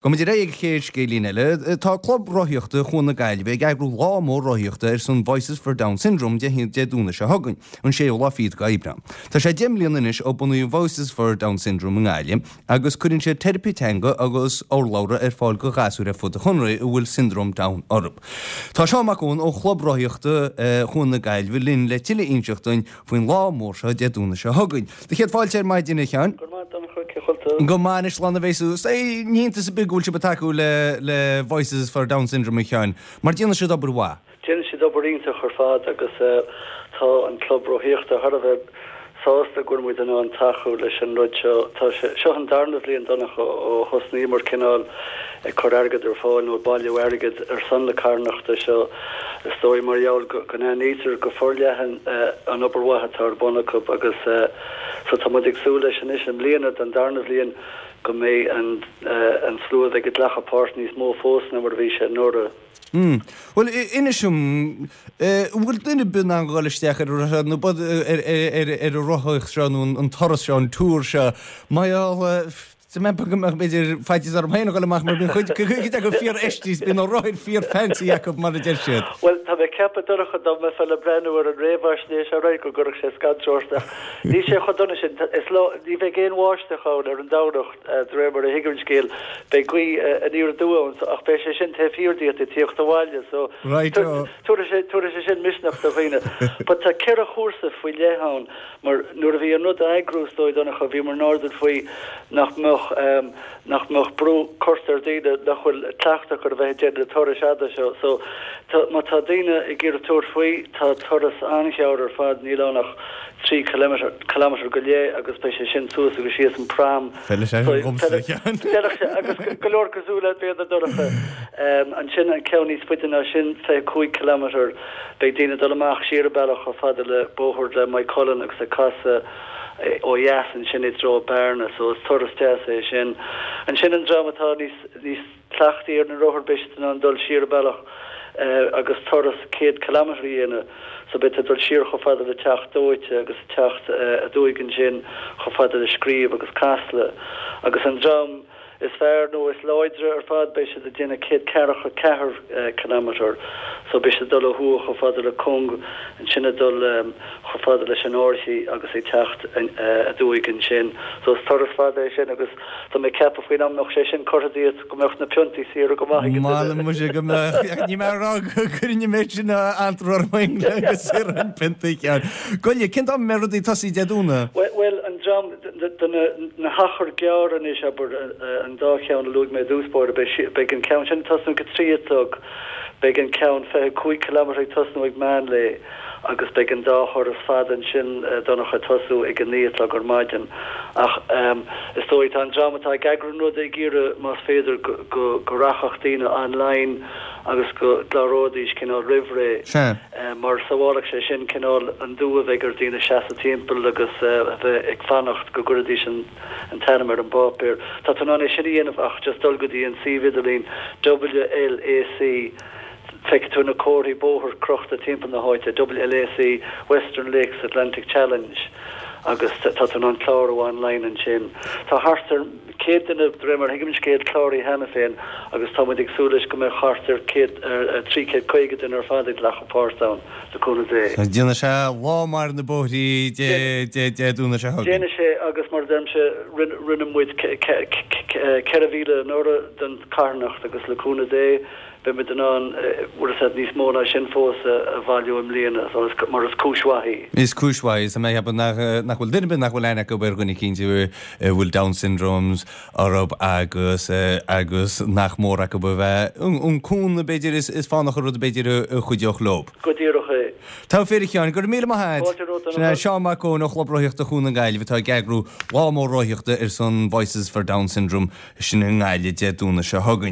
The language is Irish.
Gabhfaidh muid ar aghaidh ag an chéad scéilín eile. Tá Club Rothaíochta Chuan na Gaillimhe ag eagrú lá mór rothaíochta ar son Voices for Down Syndrome Dé Domhnaigh seo chugainn, an séú lá fichead d'Aibreán. Tá sé 10 mbliana anois ó bunaíodh Voices for Down Syndrome i nGaillimh agus cuireann siad teiripe teanga agus urlabhra ar fáil do ghasúir ar fud an chontae a bhfuil Siondróm Down orthu. Tá Seán Mac Eoin ó Chlub Rothaíochta Chuan na Gaillimhe linn le tuilleadh a inseacht dúinn faoin lá mór seo Dé Domhnaigh seo chugainn. Do chéad fáilte ar maidin, a Sheáin. Go raibh maith agat, Donncha, cén chaoi a bhfuil tú? Go maith anois, slán a bheas tú. Ní hiontas ar bith go bhfuil sibh ag tacú le le Voices for Down Syndrome, a Sheáin, mar déanann siad obair mhaith. Déanann siad obair iontach ar fad agus tá an club rothaíochta thar a bheith sásta go bhfuil muid in ann tacú leis an rud seo. Tá sé, seo an darna bhliain, Donncha, ó thosnaíomar cineál ag cur airgead ar fáil nó ag bailiú airgid ar son na carthanachta seo. Is dóigh mar gheall go n-aithnítear go forleathan an obair mhaith atá ar bun acu agus so tá muid ag súil leis anois i mbliana don darna bhliain go mbeidh an slua a bheidh ag glacadh páirt níos mó fós ná mar a bhí sé anuraidh. Mm. Bhuel, inis dom, an bhfuil duine ar bith in ann dhul isteach ar an nó ar an rothaíocht seo nó an turas seo, an tour seo, mar gheall, Tá mé ag ceapadh go mbeadh, b'fhéidir, faitíos orm féin a dhul amach mar bíonn cuid, cuid acu fíorfheistithe is bíonn na rothair fíor-fancy acu mar a deir siad. Bhuel, tá mé ag ceapadh, Donncha, dá mbeifeá le breathnú ar an réamhaisnéis aréir go gcuirfeadh sé scanradh ort ach níl sé chomh dona sin. Is lá, ní bheidh aon bháisteach ann ar an Domhnach, de réir mar a thuigim an scéal. Beidh gaoth aniar aduaidh ann so, ach beidh sé sin taobh thiar díot ag tíocht abhaile so Right, oh. tabharfaidh sé, tabharfaidh sé sin misneach do dhaoine. But tá 4 chúrsa faoi leith ann. Mar nuair a bhí an rud á eagrú, is dóigh, Donncha, bhíomar in airdeall faoi nach mbeadh, nach mbeadh brú curtha ar daoine nach bhfuil cleachtadh acu ar a bheith ag déanamh na turais fhada seo. So, tá, má tá daoine ag iarraidh tabhairt faoi, tá turas an-ghearr ar fad, níl ann ach 3 kilometre go leith agus beidh sé sin suas agus síos an prom. Feilfidh sé sin dhomsa, a Sheáin. Feilfidh sé, agus go leor cosúil leat, b'fhéidir, Donncha. Ansin an ceann níos faide ná sin, 25 kilometre, Beidh daoine ag dul amach siar an bealach chomh fada le bóthar le Maigh Cuilinn agus ag casadh ó dheas ansin i dtreo Bearna so is turas deas é sin. Ansin an dream atá níos níos cleachtaí ar na rothair beidh siad in ann dul siar an bealach agus turas 100 kilometre a dhéanamh so beidh tú ag dul siar chomh fada le Teach Dóite agus ag teacht aduaidh ansin chomh fada le Scríb agus Casla agus an dream is fearr nó is láidre ar fad, beidh siad ag déanamh 144 kilometre, so beidh siad ag dul ó thuaidh chomh fada le Cong, ansin ag dul chomh fada leis an Fhairche agus ag teacht aduaidh ansin. So is turas fada é sin agus tá mé ag ceapadh faoin am a mbeadh sé sin curtha díot go mbeadh na piontaí saor go maith ag an duine. M'anam muise go mbeadh, ní mé a rá go gcuirfinn an méid sin antró orm féin le go saorfainn piontaí ceann. Goile, cén t-am a mbeidh rudaí ag tosaí Dé Domhnaigh? Bhuel, an dream, De na hachair ghearra anois, abair, an dá cheann a luaigh mé i dtús báire, beidh an ceann sin ag tosnú ag a 3 a chlog, beidh an ceann 25 kilometre ag tosnú ag meán lae agus beidh an dá thuras fada ansin, Donncha, ag tosú ag a 9 a chlog ar maidin. Ach is dóigh, tá an dream atá ag eagrú an ruda ag iarraidh, más féidir, go rachadh daoine online agus go gcláróidís cineál roimh ré. Sea. mar sabhálfadh sé sin cineál an dua a bheidh ar dhaoine seasamh timpeall agus a bheith ag fanacht go gcuirfidís an t-ainm ar an bpáipéar. Tá tú in ann é sin a dhéanamh ach just dul go dtí an suíomh idirlín WLAC, feicfidh tú na comharthaí bóthair crochta timpeall na háite, WLAC, Western Lakes Atlantic Challenge, agus tá tú in ann clárú online ansin. Tá thart ar. 100 duine, de réir mar a thuigim an scéal, cláraithe cheana féin agus tá muid ag súil leis go mbeidh thart ar 100, 350 duine ar fad ag glacadh páirt ann, le cúnamh Dé. Déanfaidh sé lá maith ar na bóithrí Dé Domhnaigh seo chugainn. Déanfaidh sé agus mar a deirimse, rinne muid 4,000 anuraidh don charthanacht agus le cúnamh Dé, beidh muid in ann, bhfuil a fhios agat, níos mó ná sin fós a bhailiú i mbliana, so is, mar is cúis mhaith í. Is cúis mhaith í, is mé ag ceapadh nach, nach bhfuil duine ar bith nach bhfuil aithne acu ar dhuine eicínt a bhfuil Down syndromes orthu agus, agus nach mór acu a bheith, an cúnamh b'fhéidir is, is fánach an rud b'fhéidir a chuideodh leo. Go díreach é. Tá fíor a Sheáin, go raibh míle maith agat. Fáilte romhat, Sin é Seán Mac Eoin ó Chlub Rothaíochta Chuan na Gaillimhe atá ag eagrú lá mór rothaíochta ar son Voices for Down Syndrome sin i nGaillimh Dé Domhnaigh seo chugainn.